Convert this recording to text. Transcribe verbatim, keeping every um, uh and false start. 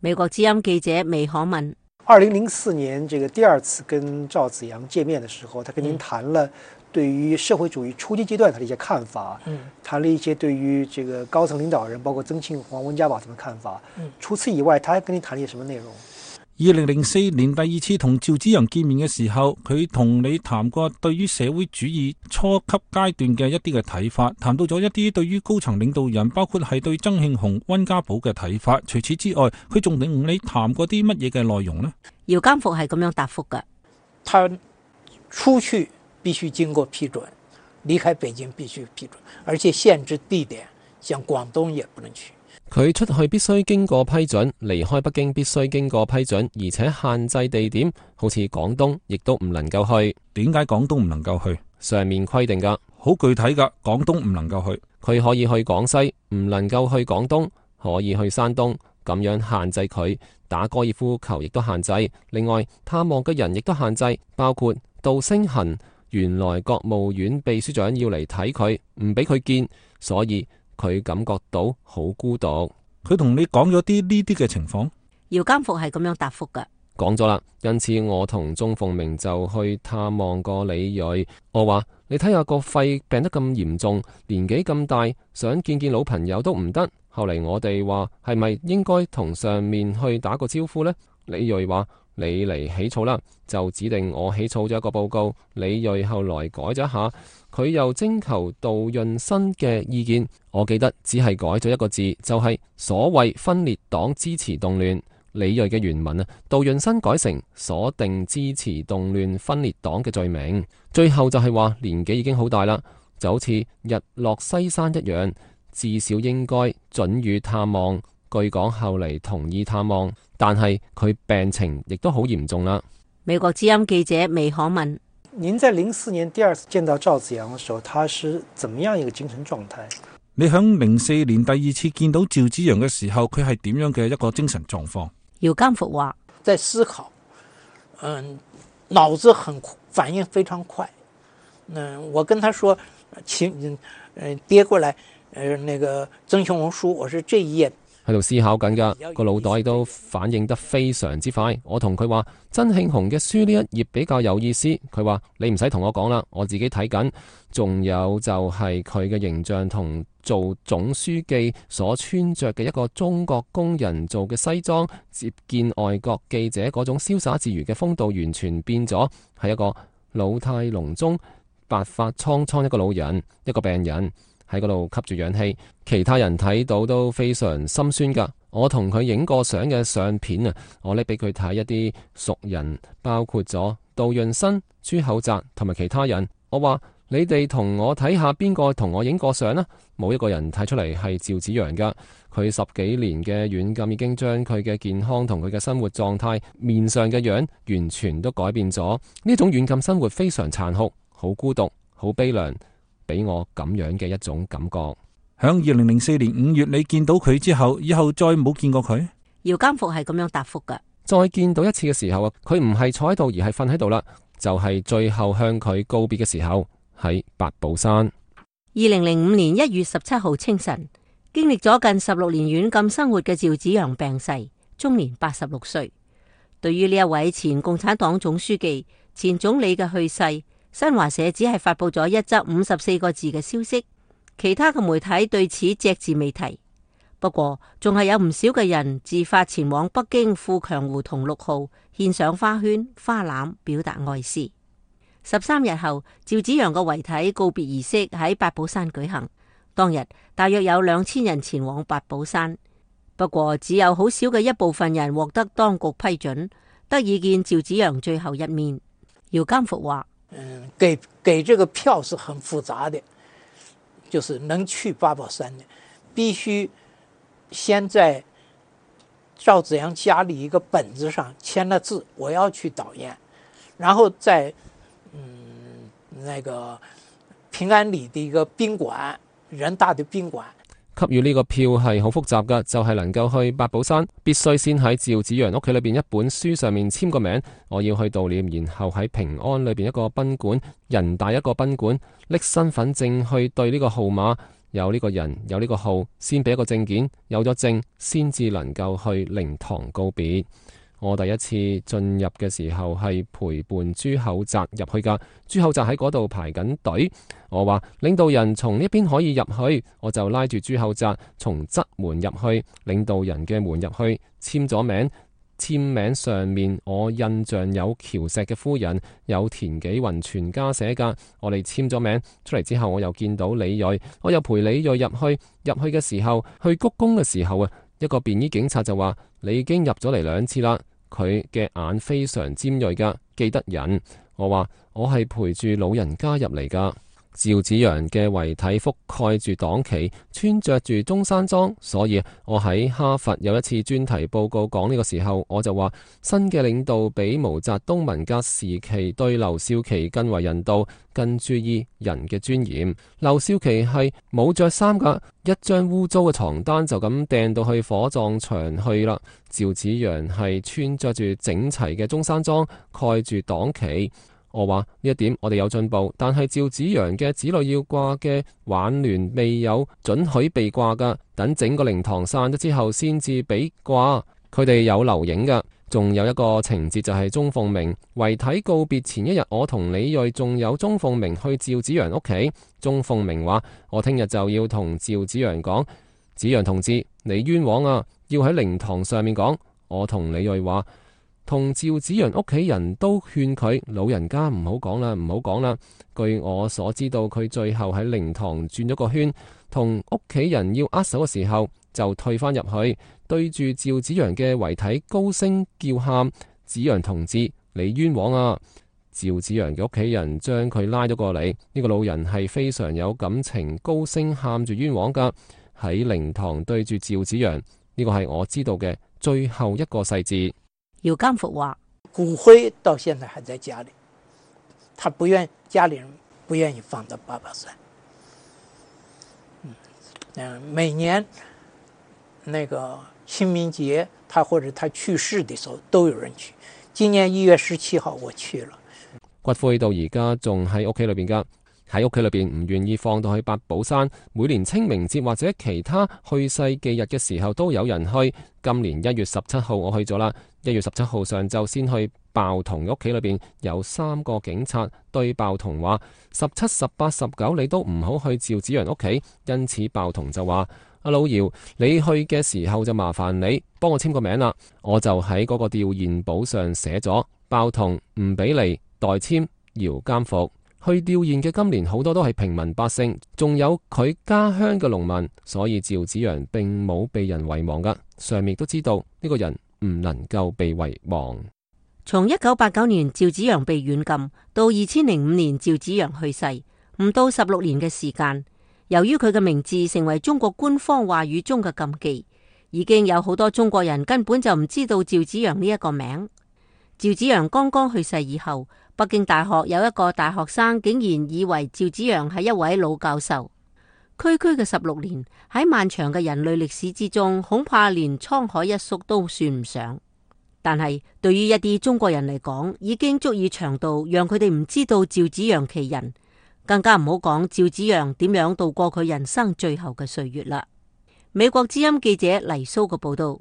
美國之音記者魏可文。二零零四年這個第二次跟趙紫陽見面的時候，他跟您談了對於社會主義初級階段他的一些看法，嗯，談了一些對於這個高層領導人，包括曾慶紅、溫家寶他們的看法。嗯，除此以外，他還跟您談了一些什麼內容？二零零四年第二次同趙紫陽見面嘅時候，佢同你談過對於社會主義初級階段嘅一啲嘅睇法，談到咗一啲對於高層領導人，包括係對曾慶紅、溫家寶嘅睇法。除此之外，佢仲同你談過啲乜嘢嘅內容呢？姚監復係咁樣答覆嘅：他出去必須經過批准，離開北京必須批准，而且限制地點，像廣東也不能去。佢出去必須經過批准，離開北京必須經過批准，而且限制地點，好似廣東亦都唔能夠去。點解廣東唔能夠去？上面規定噶，好具體噶。廣東唔能夠去，佢可以去廣西，唔能夠去廣東，可以去山東，咁樣限制佢。打高爾夫球亦都限制。另外探望嘅人亦都限制，包括杜星行原來國務院秘書長要嚟睇佢，唔俾佢見，所以佢感覺到好孤獨。佢同你講咗啲呢啲嘅情況？姚監復係咁樣答覆嘅：講咗啦。因此我同鍾鳳鳴就去探望過李銳。我話你睇下個肺病得咁嚴重，年紀咁大，想見見老朋友都唔得。後嚟我哋話係咪應該同上面去打個招呼呢？李銳話你嚟起草啦，就指定我起草咗一個報告。李銳後來改咗一下，佢又徵求杜潤新嘅意見。我記得只係改咗一個字，就係、是、所謂分裂黨支持動亂。李銳嘅原文啊，杜潤新改成鎖定支持動亂分裂黨嘅罪名。最後就係話年紀已經好大啦，就好似日落西山一樣，至少應該准予探望。據講後嚟同意探望，但係佢病情亦都好嚴重啦。美國之音記者魏可文：您在零四年第二次見到趙紫陽嘅時候，他是怎麼樣一個精神狀態？你響零四年第二次見到趙紫陽嘅時候，佢係點樣嘅一個精神狀況？姚監復話：在思考，嗯，腦子很反應非常快。嗯，我跟他說，請，嗯，跌過來，呃，那個曾慶紅書，我說這一頁。喺度思考緊噶，個腦袋都反應得非常之快。我同佢話曾慶紅嘅書呢一頁比較有意思，佢話你唔使同我講啦，我自己睇緊。仲有就係佢嘅形象同做總書記所穿着嘅一個中國工人做嘅西裝，接見外國記者嗰種瀟灑自如嘅風度完全變咗，係一個老態龍鍾、白髮蒼蒼一個老人，一個病人。喺嗰度吸住氧氣，其他人睇到都非常心酸噶。我同佢影過相嘅相片啊，我拎俾佢睇一啲熟人，包括咗杜潤新、朱厚澤同埋其他人。我話你哋同我睇下邊個同我影過相啦，冇一個人睇出嚟係趙紫陽噶。佢十幾年嘅軟禁已經將佢嘅健康同佢嘅生活狀態、面上嘅樣完全都改變咗。呢種軟禁生活非常殘酷，好孤獨，好悲涼。俾我咁樣嘅一種感覺。響二零零四年五月，你見到佢之後，以後再冇見過佢？姚監復係咁樣答覆㗎。再見到一次嘅時候啊，佢唔係坐喺度，而係瞓喺度啦。就係、是、最後向佢告別嘅時候，喺八寶山。二零零五年一月十七號清晨，經歷咗近十六年軟禁生活嘅趙紫陽病逝，終年八十六歲。對於呢一位前共產黨總書記、前總理嘅去世，新華社只係發佈咗一則五十四個字嘅消息，其他嘅媒體對此隻字未提。不過，仲係有唔少嘅人自發前往北京富強胡同六號獻上花圈、花籃，表達哀思。十三日後，趙紫陽嘅遺體告別儀式喺八寶山舉行。當日大約有兩千人前往八寶山，不過只有好少嘅一部分人獲得當局批准，得以見趙紫陽最後一面。姚監復話。嗯，給給這個票是很複雜的，就是能去八寶山的，必須先在趙紫陽家裏一個本子上簽了字，我要去導唁，然後在嗯那個平安里的一個賓館，人大的賓館。給予呢個票係好複雜噶，就係、是、能夠去八寶山，必須先喺趙紫陽屋企裏邊一本書上面簽個名，我要去悼念，然後喺平安裏邊一個賓館，人大一個賓館，拎身份證去對呢個號碼，有呢個人有呢個號，先俾一個證件，有咗證先至能夠去靈堂告別。我第一次進入嘅時候係陪伴朱厚澤入去噶，朱厚澤喺嗰度排緊隊。我話領導人從呢邊可以入去，我就拉住朱厚澤從側門入去，領導人嘅門入去，簽咗名。簽名上面我印象有喬石嘅夫人，有田紀雲全家寫噶。我哋簽咗名出嚟之後，我又見到李銳，我又陪李銳入去。入去嘅時候，去鞠躬嘅時候啊，一個便衣警察就話：你已經入咗嚟兩次啦。佢嘅眼非常尖銳噶，記得人。我話我係陪住老人家入嚟噶。趙紫陽嘅遺體覆蓋住黨旗，穿着住中山裝，所以我喺哈佛有一次專題報告講呢個時候，我就話新嘅領導比毛澤東文革時期對劉少奇更為人道，更注意人嘅尊嚴。劉少奇係冇着衫噶，一張污糟嘅床單就咁掟到去火葬場去啦。趙紫陽係穿着住整齊嘅中山裝，蓋住黨旗。我話呢一點我哋有進步，但係趙紫陽嘅子女要掛嘅挽聯未有准許被掛噶，等整個靈堂散咗之後先至俾掛。佢哋有留影噶，仲有一個情節就係鍾鳳鳴遺體告別前一日，我同李銳仲有鍾鳳鳴去趙紫陽屋企。鍾鳳鳴話：我聽日就要同趙紫陽講，紫陽同志你冤枉啊，要喺靈堂上面講。我同李銳話：同趙紫陽屋企人都勸佢老人家唔好講啦，唔好講啦。據我所知道，佢最後喺靈堂轉咗個圈，同屋企人要握手嘅時候，就退翻入去，對住趙紫陽嘅遺體高聲叫喊：紫陽同志，你冤枉啊！趙紫陽嘅屋企人將佢拉咗過嚟，呢個老人係非常有感情，高聲喊住冤枉噶。喺靈堂對住趙紫陽，呢個係我知道嘅最後一個細節。姚監復話：骨灰到現在還在家裏，他不願家裏人不願意放到八寶山。嗯，每年那個清明節，他或者他去世的時候都有人去。今年一月十七號我去了。骨灰到而家仲喺屋企裏邊噶，喺屋企裏邊唔願意放到去八寶山。每年清明節或者其他去世忌日嘅時候都有人去。今年一月十七號我去咗啦。一月十七號上晝先去鮑彤屋企裏邊，有三個警察對鮑彤話：十七、十八、十九你都唔好去趙紫陽屋企。因此鮑彤就話：阿老姚，你去嘅時候就麻煩你幫我簽個名啦。我就喺嗰個弔唁簿上寫咗鮑彤唔俾嚟代簽姚監復。去弔唁嘅今年好多都係平民百姓，仲有佢家鄉嘅農民，所以趙紫陽並冇被人遺忘噶。上面都知道呢個人唔能夠被遺忘。從一九八九年趙紫陽被軟禁到二千零五年趙紫陽去世，唔到十六年嘅時間。由於佢嘅名字成為中國官方話語中嘅禁忌，已經有好多中國人根本就唔知道趙紫陽呢一個名。趙紫陽剛剛去世以後，北京大學有一個大學生竟然以為趙紫陽係一位老教授。區區嘅十六年喺漫長嘅人類歷史之中，恐怕連滄海一粟都算唔上。但係對於一啲中國人嚟講，已經足以長到讓佢哋唔知道趙紫陽其人，更加唔好講趙紫陽點樣度過佢人生最後嘅歲月啦。美國之音記者黎蘇嘅報道。